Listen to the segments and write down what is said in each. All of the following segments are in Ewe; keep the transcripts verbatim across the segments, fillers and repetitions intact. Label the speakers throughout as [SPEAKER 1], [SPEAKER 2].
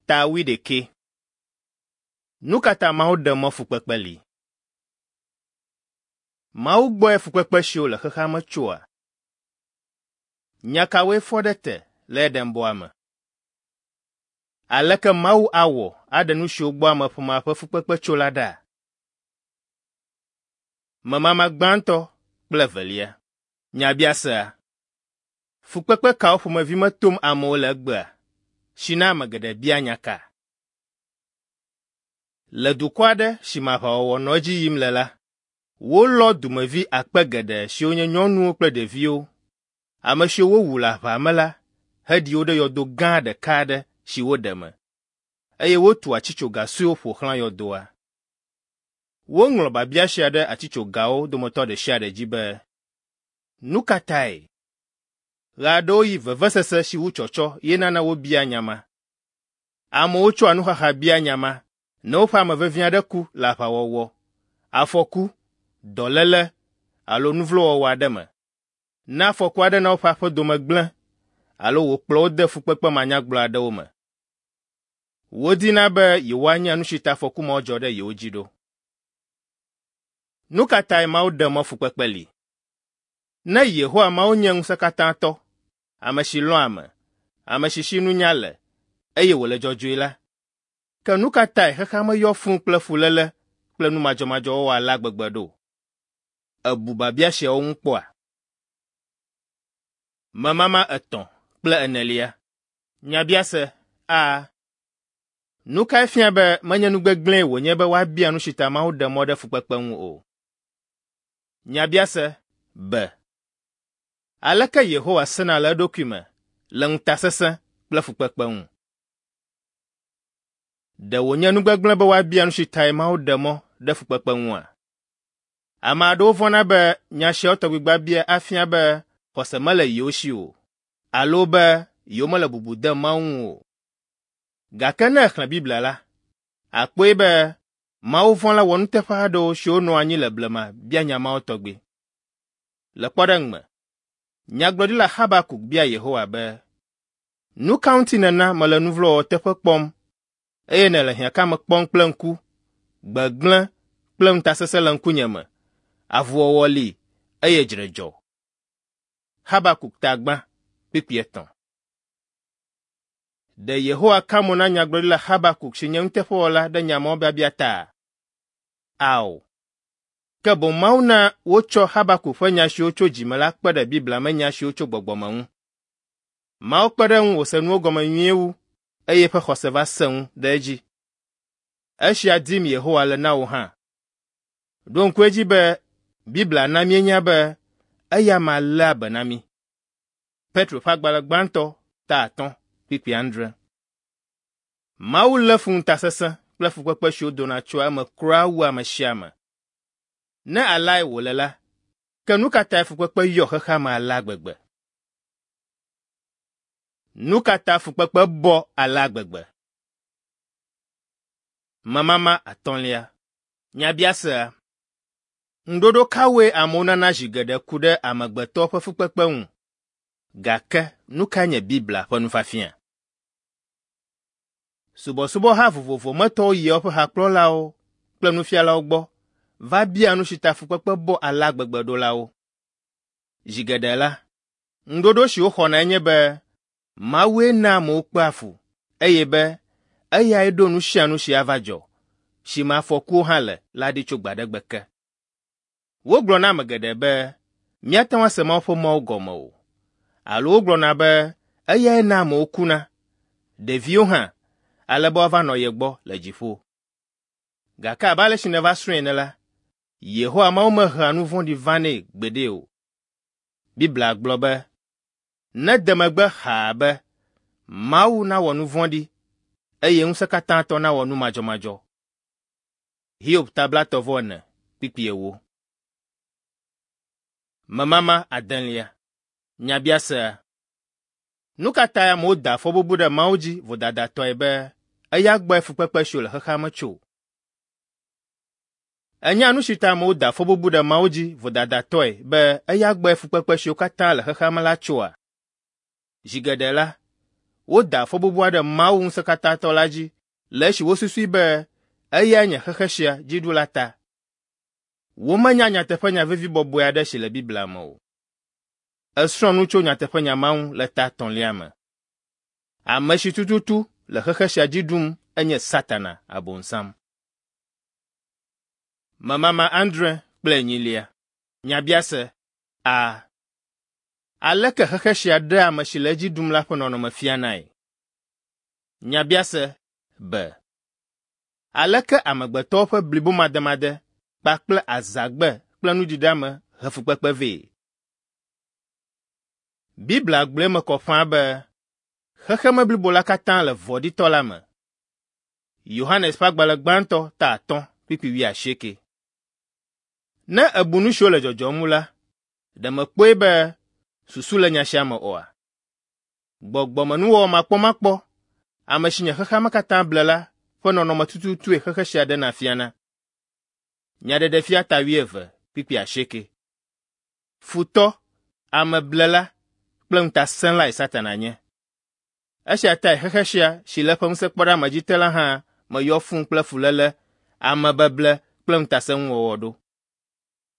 [SPEAKER 1] Ta wuiɖekɛ. Nu ka ta Mawu ɖe mɔ fukpekpe li? Mawu gbɔe fukpekpe siwo le xexea me tsoa? Nya kawoe fɔ ɖe te le Edenbɔa me? Aleke Mawu awɔ aɖe nu siwo gbɔ ameƒomea ƒe fukpekpe tso la ɖa? Memama gbãtɔ kple evelia. Nyabiasea. Fukpekpe kawo ƒomevi me tom amewo le egbea si na ame geɖe bia nya ka? Le dukɔ aɖe si me aʋawɔwɔ nɔ edzi yim le la, wolɔ dumevi akpe geɖe siwo nye nyɔnuwo kple ɖeviwo, ame siwo wowu le aʋa me la heɖi wo ɖe yɔdo gã ɖeka aɖe si woɖe me, eye wotu atitsoga suewo ƒo xlã yɔdoa. Woŋlɔ biabia sia ɖe atitsogawo dometɔ ɖe sia ɖe dzi be, “Nu ka tae?” Ɣe aɖewo ɣi vevesese si wu tsɔtsɔ ye nana wobia nya ma. Amewo tsɔa nuxaxa bia nya ma ne woƒe ame vevi aɖe ku le aʋawɔwɔ, afɔku, dɔléle alo nu vlo wɔwɔ aɖe me. Ne afɔku aɖe na woƒe aƒe dome gblẽ alo wòkplɔ wo de fukpekpe manyagblɔ aɖewo me. Wodina be yewoanya nu si ta afɔku mawo dzɔ ɖe yewo dzi ɖo. Nu ka tae Mawu ɖe mɔ fukpekpe li? Ne Yehowa Mawu nye ŋusẽkatãtɔ, ame si lɔ̃a ame, ame si si nunya le, eye wòle dzɔdzɔe la, ke nu ka tae xexea me yɔ fũu kple fuléle kple nu madzɔmadzɔ wɔwɔ alea gbegbe ɖo? Èbu biabia siawo ŋu kpɔa? Memama etɔ̃ kple enelia. Nyabiase A. Nu kae fia be menye nu gbegblẽe wònye be woabia nu si ta Mawu ɖe mɔ ɖe fukpekpe ŋu o? Nyabiase B. Aleke Yehowa sena le eɖokui me le ŋutasesẽ kple fukpekpe ŋu? Ɖe wònye nu gbegblẽ be woabia nu si tae Mawu ɖe mɔ ɖe fukpekpe ŋua? Ame aɖewo vɔ̃na be nya siawo tɔgbi biabia afia be xɔse mele yewo si o alo be yewomele bubu dem Mawu ŋu o. Gake ne èxlẽ Biblia la, àkpɔe be Mawu vɔ̃la wɔnuteƒe aɖewo siwo nɔ anyi le blema bia nya mawo tɔgbi. Le kpɔɖeŋu me, nyagblɔɖila Habakuk bia Yehowa be, “Nu ka ŋuti nèna mele nu vlo wɔwɔ teƒe kpɔm eye nèle hiãkame kpɔm kple ŋku, gbegblẽ kple ŋutasesẽ le ŋkunye me, avuwɔwɔ li eye dzre dzɔ?” Habakuk ta gbã, kpukpui etɔ̃. Ɖe Yehowa ka mo na nyagblɔɖila Habakuk si nye nuteƒewɔla ɖe nya mawo biabia ta? Ao. Ke boŋ Mawu na wotsɔ Habakuk ƒe nya siwo tso dzime la kpe ɖe Biblia me nya siwo tso gbɔgbɔ me ŋu. Mawu kpe ɖe eŋu wòse nuwo gɔme nyuie wu eye eƒe xɔse va sẽ ŋu ɖe edzi. Esia dim Yehowa le na wò hã. Ɖo ŋku edzi be Biblia na míenya be eya amea léa be na mí. Petro ƒe agbalẽ gbãtɔ ta atɔ̃ kpukpui adre. Mawu lé fu ŋutasesẽ kple fukpekpe siwo dona tsoa eme kura wu ame sia ame. Ne aleae wòle la, ke nu ka tae fukpekpe yɔ xexea me alea gbegbe? Nu ka ta fukpekpe bɔ alea gbegbe? Memama atɔ̃lia. Nyabiasea. Ŋuɖoɖo kawoe amewo nana zi geɖe ku ɖe amegbetɔ ƒe fukpekpe ŋu? Gake nu kae nye Biblia ƒe nufiafia? Subɔsubɔha vovovo me tɔwo yia woƒe hakplɔlawo kple nufialawo gbɔ va bia nu si ta fukpekpe bɔ alea gbegbe ɖo la wo. Zi geɖe la, ŋuɖoɖo si woxɔnae nye be Mawue na amewo kpea fu eye be eyae ɖo nu sia nu si ava dzɔ, si me afɔkuwo hã le la ɖi tso gbe aɖe gbe ke. Wogblɔ na ame geɖe be míate ŋu ase Mawu ƒe mɔwo gɔme o, alo wogblɔna be eyae na amewo kuna, ɖeviwo hã, ale be woava nɔ ye gbɔ le dziƒo. Gake abe ale si nèva srɔ̃e ene la, Yehowa Mawu mehea nu vɔ̃ɖi vanɛ gbeɖe o. Biblia gblɔ be, “Nede megbe xaa be Mawu nawɔ nu vɔ̃ɖi eye ŋusẽkatãtɔ nawɔ nu madzɔmadzɔ.” Hiob ta blaetɔ̃ vɔ ene kpukpui ewo. Memama adelia. Nyabiasea. Nu ka tae amewo da fɔbubu ɖe Mawu dzi vodadatɔe be eya gbɔe fukpekpe siwo le xexea me tso? Ènya nu si ta amewo da fɔbubu ɖe Mawu dzi vodadatɔe be eya gbɔe fukpekpe siwo katã le xexea me la tsoa? Zi geɖe la, Woda fɔbubua ɖe Mawu Ŋusẽkatãtɔ la dzi le esi wosusui be eyae nye xexe sia dziɖula ta. Womenya nyateƒenya vevi bɔbɔe aɖe si le Biblia me o. Èsrɔ̃ nu tso nyateƒenya ma ŋu le ta etɔ̃lia me. Ame si tututu le xexe sia dzi ɖum enye Satana Abosam. Memama adre kple enyilia. Nyabiase A. Aleke xexe sia ɖea ame si le edzi ɖum la ƒe nɔnɔme fianae? Nyabiase B. Aleke amegbetɔwo ƒe blibomademade kpakple azãgbe kple nuɖiɖeame he fukpekpe vɛ? Biblia gblɔe eme kɔ ƒãa be xexeme blibo la katã le vɔ̃ɖitɔ la me. Yohanes ƒe agbalẽ gbãtɔ ta atɔ̃ kpukpui wuiasieke. Ne èbu nu siwo le dzɔdzɔm ŋu la, ɖe mèkpɔe be susu le nya sia me oa? Gbɔgbɔmenuwɔwɔ makpɔmakpɔ, ame si nye xexea me katã ble la ƒe nɔnɔme tututue xexe sia ɖena fiana. Nyaɖeɖefia ta wuieve kpukpui asieke. Futɔ, ameblela kple ŋutasẽlae Satana nye. Esia tae xexe sia si le eƒe ŋusẽkpɔɖeamedzi te la hã meyɔ fũu kple fuléle, amebeble kple ŋutasẽnuwɔwɔ ɖo.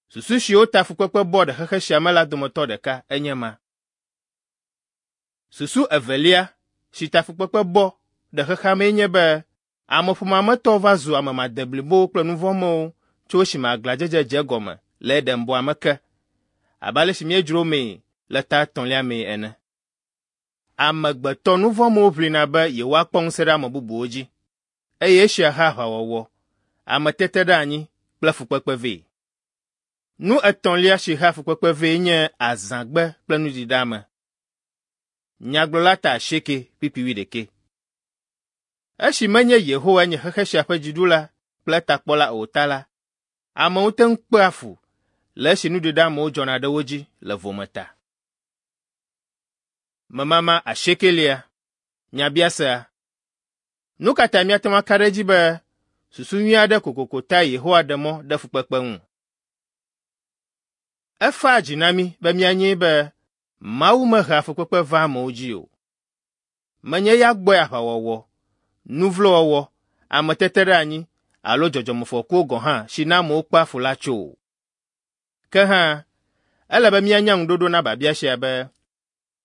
[SPEAKER 1] Susu siwo ta fukpekpe bɔ ɖe xexe sia me la dometɔ ɖeka enye ma. Susu evelia si ta fukpekpe bɔ ɖe xexea mee nye be ameƒomea me tɔwo va zu ame madeblibowo kple nuvɔ̃mewo tso esime aglãdzedze dze egɔme le Edenbɔa me ke, abe ale si míedzro mee le ta etɔ̃lia mee ene. Amegbetɔ nuvɔ̃mewo ʋlina be yewoakpɔ ŋusẽ ɖe ame bubuwo dzi, eye esia hea aʋawɔwɔ, ameteteɖeanyi kple fukpekpe vɛ. Nu etɔ̃lia si hea fukpekpe vɛ nye azãgbe kple nuɖiɖeame. Nyagblɔla ta asieke kpukpui wuiɖekɛ. Esi menye Yehowae nye xexe sia ƒe dziɖula kple etakpɔla o ta la, amewo te ŋu kpea fu le esi nuɖiɖeamewo dzɔna ɖe wo dzi le vome ta. Memama asiekelia. Nyabiasea. Nu ka tae míate ŋu aka ɖe edzi be susu nyui aɖe kokoko tae Yehowa ɖe mɔ ɖe fukpekpe ŋu? Efaa dzi na mí be míanyae be Mawu mehea fukpekpe vaa amewo dzi o. Menye eya gbɔe aʋawɔwɔ, nuvlowɔwɔ, ameteteɖeanyi alo dzɔdzɔmefɔkuwo gɔ̃ hã si na amewo kpea fu la tso o. Ke hã, ele be míanya ŋuɖoɖo na biabia sia be,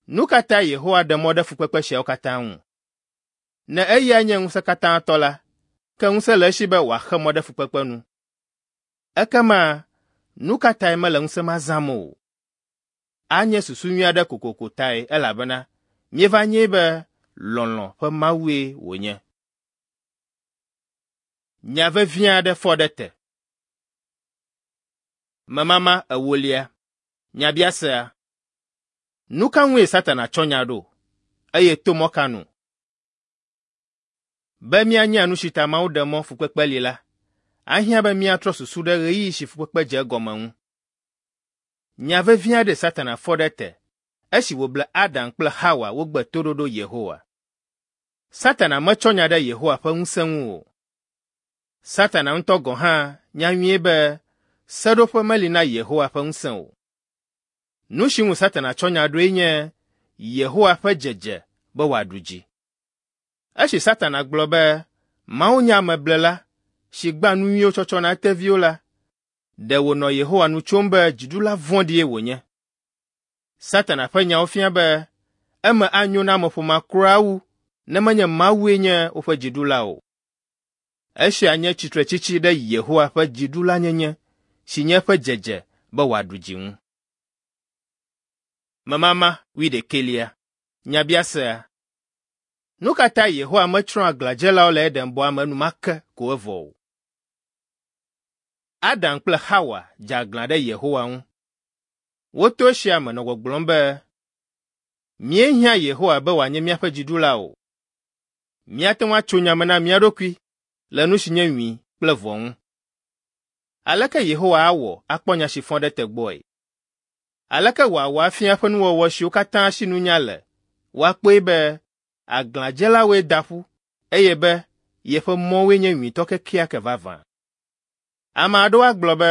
[SPEAKER 1] nu ka tae Yehowa ɖe mɔ ɖe fukpekpe siawo katã ŋu? Ne eyae nye ŋusẽkatãtɔ la, ke ŋusẽ le esi be wòaxe mɔ ɖe fukpekpe nu. Ekema nu ka tae mele ŋusẽ ma zãm o? Anye susu nyui aɖe kokoko tae elabena míeva nyae be lɔlɔ̃ ƒe Mawue wònye. Nya vevi aɖe fɔ ɖe te. Memama ewolia. Nyabiasea. Nu ka ŋue Satana tsɔ nya ɖo, eye to mɔ ka nu? Be míanya nu si ta Mawu ɖe mɔ fukpekpe li la, ahiã be míatrɔ susu ɖe ɣeyiɣi si fukpekpe dze egɔme ŋu. Nya vevi aɖe Satana fɔ ɖe te esi wòble Adam kple Xawa wogbe toɖoɖo Yehowa. Satana metsɔ nya ɖe Yehowa ƒe ŋusẽ ŋu o. Satana ŋutɔ gɔ̃ hã nya nyuie be seɖoƒe meli na Yehowa ƒe ŋusẽ o. Nu si ŋu Satana tsɔ nya ɖoe nye Yehowa ƒe dzedze be wòaɖu dzi. Esi Satana gblɔ be Mawu nye ameblela si gbea nu nyuiwo tsɔtsɔ na eteviwo la, ɖe wònɔ Yehowa nu tsom be dziɖula vɔ̃ɖie wònye. Satana ƒe nyawo fia be eme anyo na ameƒomea kura wu ne menye Mawue nye woƒe dziɖula o. Esia nye tsitretsitsi ɖe Yehowa ƒe dziɖulanyenye si nye eƒe dzedze be wòaɖu dzi ŋu. Memama wuiɖekɛlia. Nyabiasea. Nu ka tae Yehowa metsrɔ̃ aglãdzelawo le Edenbɔa me enumake ko evɔ o? Adam kple Xawa dze aglã ɖe Yehowa ŋu. Woto esia me nɔ gbɔgblɔm be, míehiã Yehowa be wòanye míaƒe dziɖula o. Míate ŋu atso nya me na mía ɖokui le nu si nye nyui kple vɔ̃ ŋu. Aleke Yehowa awɔ akpɔ nya si fɔ ɖe te gbɔe? Aleke wòawɔ afia eƒe nuwɔwɔ siwo katã si nunya le woakpɔe be aglãdzelawoe da ƒu eye be yeƒe mɔwoe nye nyuitɔ kekeake vavã? Ame aɖewo agblɔ be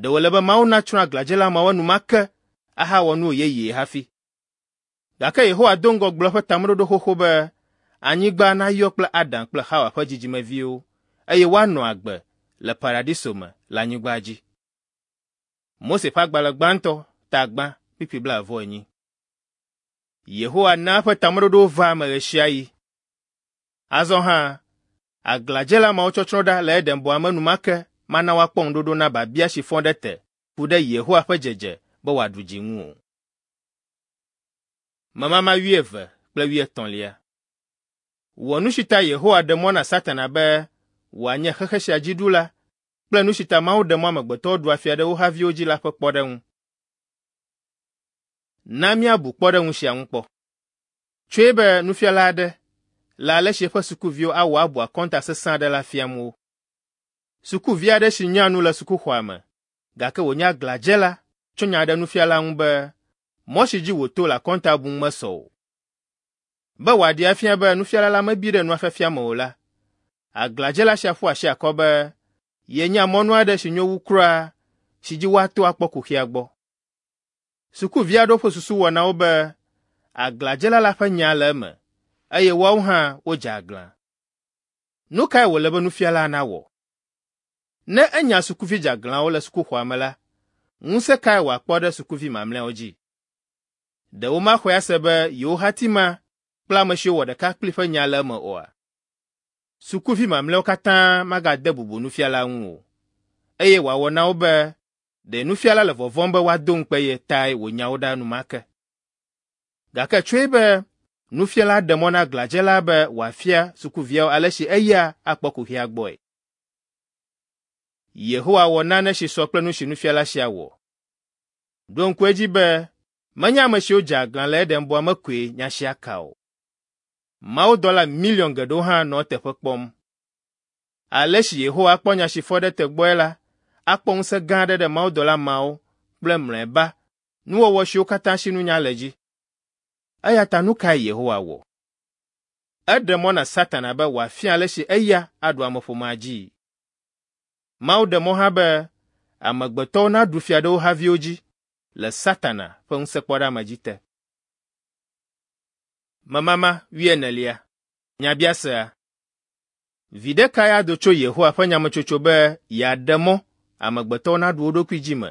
[SPEAKER 1] ɖe wòle be Mawu natsrɔ̃ aglãdzela mawo enumake ahawɔ nu yeye hafi. Gake Yehowa do ŋgɔ gblɔ eƒe tameɖoɖo xoxo be anyigba nayɔ kple Adam kple Xawa ƒe dzidzimeviwo eye woanɔ agbe le paradiso me le anyigba dzi. Mose ƒe agbalẽ gbãtɔ ta gbã kpukpui blaeve-vɔ-enyi. Yehowa na eƒe tameɖoɖowo vaa eme ɣe sia ɣi. Azɔ hã, aglãdzela mawo tsɔtsrɔ̃ ɖa le Eden bɔa me enumake mana woakpɔ ŋuɖoɖo na biabia si fɔ ɖe te ku ɖe Yehowa ƒe dzedze be wòaɖu dzi ŋu o. Memama wuieve kple wuietɔ̃lia. Wɔ nu si ta Yehowa ɖe mɔ na Satana be wòanye xexe sia dzi ɖula kple nu si ta Mawu ɖe mɔ amegbetɔwo ɖua fia ɖe wo haviwo dzi la ƒe kpɔɖeŋu. Na míabu kpɔɖeŋu sia ŋu kpɔ. Tsɔe be nufiala aɖe le ale si eƒe sukuviwo awɔ abu akɔnta sesẽ aɖe la fiam wo. Sukuvi aɖe si nya nu le sukuxɔa me, gake wònye aglãdzela tsɔ nya ɖe nufiala ŋu be mɔ si dzi wòto le akɔnta bum mesɔ o. Be wòaɖee afia be nufiala la mebi ɖe nua fiafia me o la, aglãdzela sia ƒu asi akɔ be yenya mɔnu aɖe si nyo wu kura si dzi woato akpɔ kuxia gbɔ. Sukuvi aɖewo ƒe susu wɔ na wo be aglãdzela la ƒe nya le eme eye woawo hã wodze aglã. Nu kae wòle be nufiala nawɔ? Ne enya sukuvi dzeaglãwo le sukuxɔa me la, ŋusẽ kae wòakpɔ ɖe sukuvi mamlɛawo dzi? Ɖe womaxɔe ase be yewo hati ma kple ame siwo wɔ ɖeka kpli ƒe nya le eme oa? Sukuvi mamlɛawo katã magade bubu nufiala ŋu o, eye wòawɔ na wo be ɖe nufiala le vɔvɔ̃m be woado ŋukpe ye tae wònya wo ɖa enumake. Gake tsɔe be nufiala ɖe mɔ na aglãdzela be wòafia sukuviawo ale si eya akpɔ kuxia gbɔe. Yehowa wɔ nane si sɔ kple nu si nufiala sia wɔ. Ɖo ŋku edzi be menye ame siwo dze aglã le Eden bɔa me koe nya sia ka o. Mawudɔla miliɔn geɖewo hã nɔ eteƒe kpɔm. Ale si Yehowa akpɔ nya si fɔ ɖe te gbɔe la akpɔ ŋusẽ gã aɖe ɖe mawudɔla mawo kple mlɔeba nuwɔwɔ siwo katã si nunya le dzi. Eya ta nu kae Yehowa wɔ? Eɖe mɔ na Satana be wòafia ale si eya aɖu ameƒomea dzii. Mawu ɖe mɔ hã be amegbetɔwo naɖu fia ɖe wo haviwo dzi le Satana ƒe ŋusẽkpɔɖeamedzi te. Memama wuienelia. Nyabiasea. Viɖe kae ado tso Yehowa ƒe nyametsotso be yeaɖe mɔ amegbetɔwo naɖu wo ɖokui dzi me?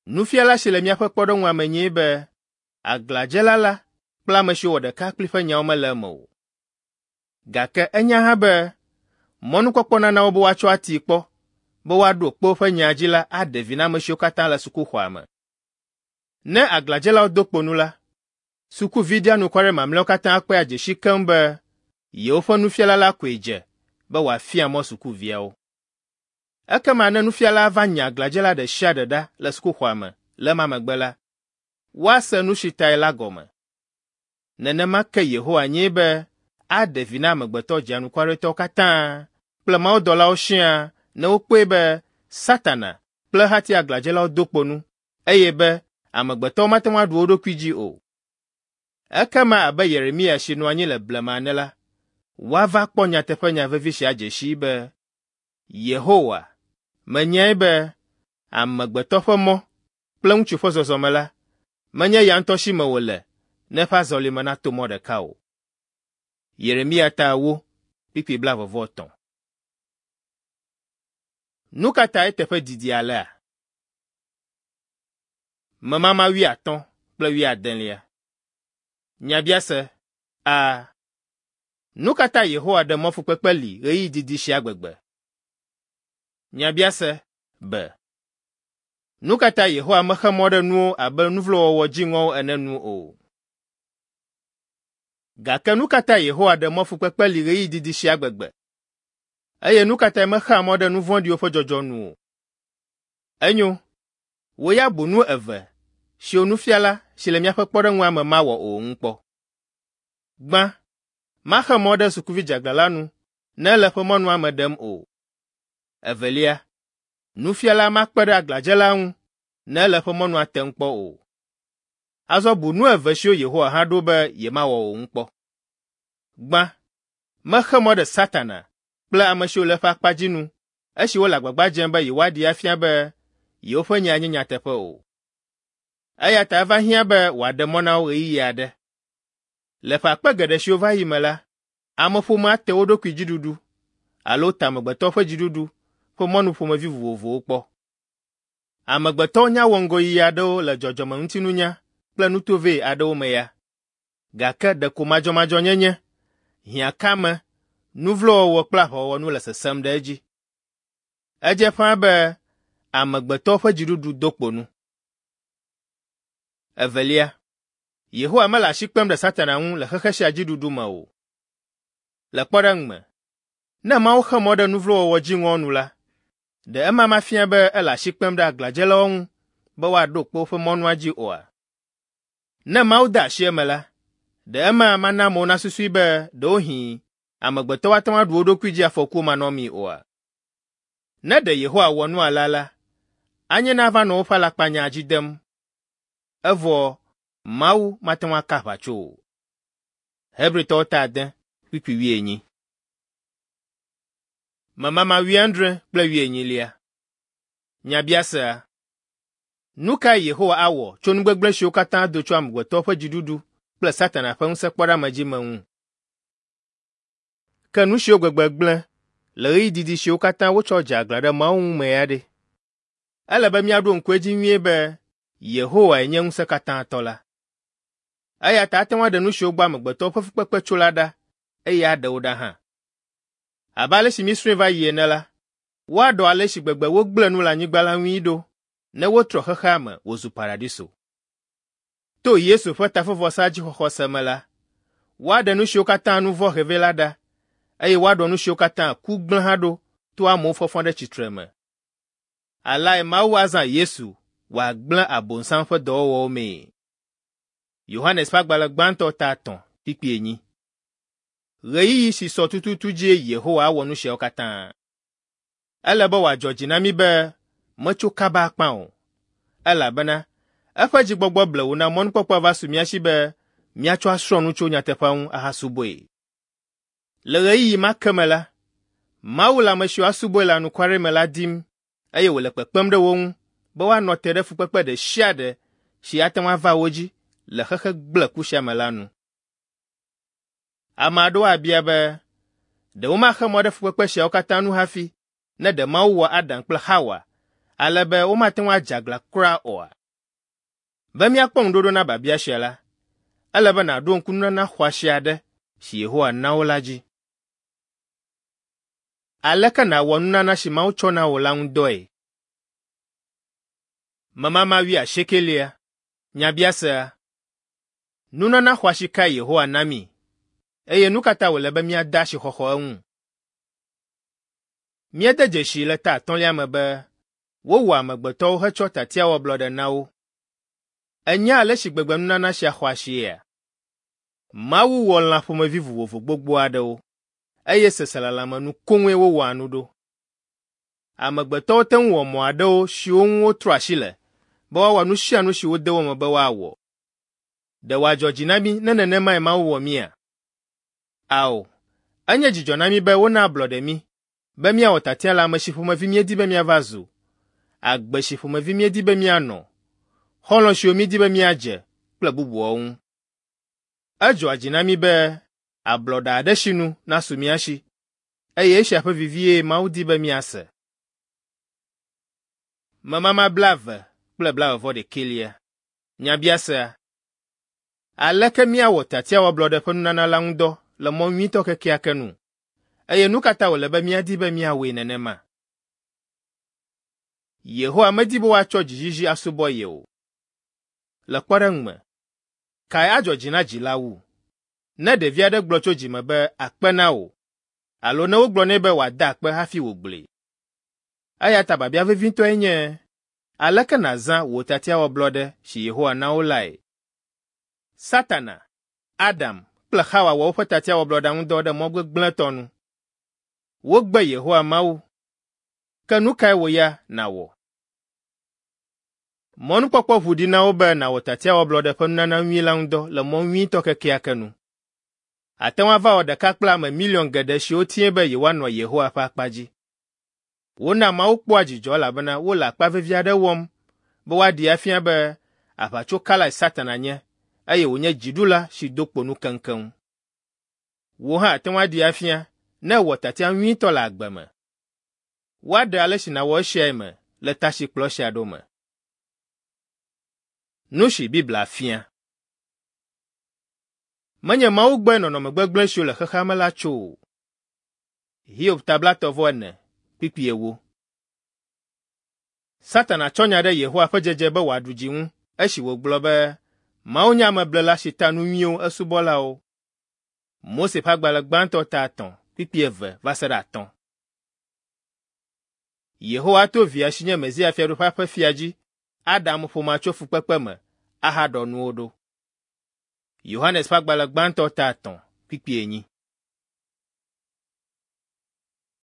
[SPEAKER 1] Nufiala si le míaƒe kpɔɖeŋua me nyee be aglãdzela la kple ame siwo wɔ ɖeka kpli ƒe nyawo mele eme o. Gake enya hã be mɔnukpɔkpɔ nana wo be woatsɔ atii kpɔ be woaɖo kpe woƒe nya dzi la aɖe vi na ame siwo katã le sukuxɔa me. Ne aglãdzelawo do kpo nu la, sukuvi ɖianukware mamlɛawo katã akpɔe adze si keŋ be yewoƒe nufiala la koe dze be wòafia mɔ sukuviawo. Ekema ne nufiala va nya aglãdzela ɖe sia ɖe ɖa le sukuxɔa me le ema megbe la, woase nu si tae la gɔme. Nenema ke Yehowa nyee be aɖe vi na amegbetɔ dzianukwaretɔwo katã kple mawudɔlawo siaa ne wokpɔe be Satana kple ehati aglãdzelawo do kpo nu eye be amegbetɔwo mate ŋu aɖu wo ɖokui dzi o. Ekema abe Yeremia si nɔ anyi le blema ene la, woava kpɔ nyateƒenya vevi sia dze sii be Yehowa menyae be amegbetɔ ƒe mɔ kple ŋutsu ƒe zɔzɔme la, menye ya ŋutɔ si me wòle ne eƒe azɔlime nato mɔ ɖeka o. Yeremia ta ewo, kpukpui blaeve-vɔ-etɔ̃. Nu ka ta eteƒe didi alea? Memama wuiatɔ̃ kple wuiadelia. Nyabiase A. Nu ka ta Yehowa ɖe mɔ fukpekpe li ɣeyiɣi didi sia gbegbe? Nyabiase B. Nu ka ta Yehowa mexe mɔ ɖe nuwo abe nuvlowɔwɔ dziŋɔwo ene nu o? Gake nu ka ta Yehowa ɖe mɔ fukpekpe li ɣeyiɣi didi sia gbegbe? Eye nu ka tae mexea mɔ ɖe nu vɔ̃ɖiwo ƒe dzɔdzɔ nu o? Enyo, wò ya bu nu eve siwo nufiala si le míaƒe kpɔɖeŋua me mawɔ o ŋu kpɔ. Gbã, maxe mɔ ɖe sukuvi dzeaglã la nu ne ele eƒe mɔnua me ɖem o. Evelia, nufiala makpe ɖe aglãdzela ŋu ne ele eƒe mɔnua tem kpɔ o. Azɔ bu nu eve siwo Yehowa hã ɖo be yemawɔ o ŋu kpɔ. Gbã, mexe mɔ ɖe Satana kple ame siwo le eƒe akpa dzi nu esi wole agbagba dzem be yewoaɖee afia be yewoƒe nya nye nyateƒe o. Eya ta eva hiã be wòaɖe mɔ na wo ɣeyiɣi aɖe. Le ƒe akpe geɖe siwo va yi me la, ameƒomea te wo ɖokui dziɖuɖu alo te amegbetɔ ƒe dziɖuɖu ƒe mɔnu ƒomevi vovovowo kpɔ. Amegbetɔwo nya wɔ ŋgɔyiyi aɖewo le dzɔdzɔmeŋutinunya kple nutovɛ aɖewo me ya, gake ɖeko madzɔmadzɔnyenye, hiãkame, nu vlo wɔwɔ kple aʋawɔwɔ nu le sesẽm ɖe edzi. Edze ƒãa be amegbetɔwo ƒe dziɖuɖu do kpo nu. Evelia, Yehowa mele asi kpem ɖe Satana ŋu le xexe sia dziɖuɖu me o. Le kpɔɖeŋu me, ne Mawu xe mɔ ɖe nu vlo wɔwɔ dziŋɔ nu la, ɖe ema mafia be ele asi kpem ɖe aglãdzelawo ŋu be woaɖo kpe woƒe mɔnua dzi oa? Ne Mawu de asi eme la, ɖe ema mana amewo nasusui be ɖewohĩ amegbetɔwo ate ŋu aɖu wo ɖokui dzi afɔkuwo manɔmee oa? Ne ɖe Yehowa wɔ nu alea la, anye ne ava nɔ woƒe alakpanya dzi dem. Evɔ Mawu mate ŋu aka aʋatso o. Hebritɔwo ta ade kpukpui wuienyi. Memama wuiadre kple wuienyilia. Nyabiasea: Nu kae Yehowa awɔ tso nu gbegblẽ siwo katã do tso amegbetɔwo ƒe dziɖuɖu kple Satana ƒe ŋusẽkpɔɖeamedzi me ŋu? Ke nu siwo gbegbe gblẽ le ɣeyiɣi didi siwo katã wotsɔ dze aglã ɖe Mawu ŋu me ya ɖe? Ele be míaɖo ŋku edzi nyuie be Yehowae nye ŋusẽkatãtɔ la. Eya ta ate ŋu aɖe nu siwo gbɔ amegbetɔwo ƒe fukpekpe tso la ɖa eye aɖe wo ɖa hã. Abe ale si míesrɔ̃e va yi ene la, woaɖɔ ale si gbegbe wogblẽ nu le anyigba la ŋui ɖo ne wotrɔ xexea me wòzu paradiso. To Yesu ƒe tafevɔsa dzixɔxɔse me la, woaɖe nu siwo katã nu vɔ̃ he vɛ la ɖa eye woaɖɔ nu siwo katã ku gblẽ hã ɖo to amewo fɔfɔ ɖe tsitre me. Aleae Mawu azã Yesu wòagblẽ Abosam ƒe dɔwɔwɔwo mee. Yohanes ƒe agbalẽ gbãtɔ ta etɔ̃ kpukpui enyi. Ɣeyiɣi si sɔ tututu dzie Yehowa awɔ nu siawo katã. Ele be wòadzɔ dzi na mí be metso kaba akpa o, elabena eƒe dzigbɔgbɔ blewu na mɔnukpɔkpɔ va su mía si be míatsɔ asrɔ̃ nu tso nyateƒea ŋu ahasubɔe. Le ɣeyiɣi ma ke me la, Mawu le ame siwo asubɔe le anukware me la dim eye wòle kpekpem ɖe wo ŋu be woanɔ te ɖe fukpekpe ɖe sia ɖe si ate ŋu ava wo dzi le xexe gblẽku sia me la nu. Ame aɖewo abia be, ɖe womaxe mɔ ɖe fukpekpe siawo katã nu hafi ne ɖe Mawu wɔ Adam kple Xawa ale be womate ŋu adze aglã kura oa? Be míakpɔ ŋuɖoɖo na biabia sia la, ele be nàɖo ŋku nunana xɔasi aɖe si Yehowa na wo la dzi. Aleke nàwɔ nunana si Mawu tsɔ na wò la ŋu dɔe? Memama wuiasiekelia. Nyabiasea: Nunana xɔasi kae Yehowa na mí eye nu ka ta wòle be míade asixɔxɔ eŋu? Míede dzesii le ta atɔ̃lia me be wowɔ amegbetɔwo hetsɔ tiatiawɔblɔɖe na wo. Ènya ale si gbegbe nunana sia xɔ asiea? Mawu wɔ lã ƒomevi vovovo gbogbo aɖewo eye seselelãme nu koŋue wowɔa nu ɖo. Amegbetɔwo te ŋu wɔ mɔ aɖewo siwo ŋu wotrɔ asi le be woawɔ nu sia nu si wode wo me be woawɔ. Ɖe wòadzɔ dzi na mí ne nenemae Mawu wɔ mía? Ao, enye dzidzɔ na mí be wona ablɔɖe mí be míawɔ tiatia le ame si ƒomevi míedi be míava zu, agbe si ƒomevi míedi be míanɔ, xɔlɔ̃ siwo míedi be míadze kple bubuawo ŋu. Edzɔa dzi na mí be ablɔɖe aɖe sinu nasu mía si eye esia ƒe vivie Mawu di be míase. Memama blaeve kple blaeve-vɔ-ɖekɛlia. Nyabiasea: Aleke míawɔ tiatiawɔblɔɖe ƒe nunana la ŋu dɔ le mɔ nyuitɔ kekeake nu eye nu ka ta wòle be míadi be míawɔe nenema? Yehowa medi be woatsɔ dzizizi asubɔ ye o. Le kpɔɖeŋu me, kae adzɔ dzi na dzila wu? Ne ɖevi aɖe gblɔ tso dzime be akpe na wò alo ne wogblɔ nɛ be wòada akpe hafi wògblɔe. Eya ta biabia vevitɔe nye, aleke nàzã wò tiatiawɔblɔɖe si Yehowa na wò lae? Satana, Adam kple Xawa wɔ woƒe tiatiawɔblɔɖea ŋu dɔ ɖe mɔ gbegblẽtɔ nu. Wogbe Yehowa Mawu. Ke nu kae wò ya nàwɔ? Mɔnukpɔkpɔ ʋu ɖi na wò be nàwɔ tiatiawɔblɔɖe ƒe nunana nyui la ŋu dɔ le mɔ nyuitɔ kekeake nu. Àte ŋu ava wɔ ɖeka kple ame miliɔn geɖe siwo tiae be yewoanɔ Yehowa ƒe akpa dzi. Wona Mawu kpɔa dzidzɔ elabena wole akpa vevi aɖe wɔm be woaɖee afia be aʋatsokalae Satana nye eye wònye dziɖula si do kpo nu keŋkeŋ. Wò hã àte ŋu aɖee afia ne èwɔ tiatia nyuitɔ le agbe me. Woaɖe ale si nàwɔ esiae me le ta si kplɔ esia ɖo me. Nu si Biblia fia. Menye Mawu gbɔe nɔnɔme gbegblẽ siwo le xexea me la tso o. Hiob ta blaetɔ̃ vɔ ene kpukpui ewo. Satana tsɔ nya ɖe Yehowa ƒe dzedze be wòaɖu dzi ŋu esi wògblɔ be Mawu nye ameblela si ta nu nyuiwo esubɔlawo. Mose ƒe agbalẽ gbãtɔ ta etɔ̃ kpukpui eve va se ɖe atɔ̃. Yehowa ato via si nye Mesia Fiaɖuƒea ƒe fia dzi aɖe ameƒomea tso fukpekpe me ahaɖɔ nuwo ɖo. Yohanes ƒe agbalẽ gbãtɔ ta etɔ̃ kpukpui enyi.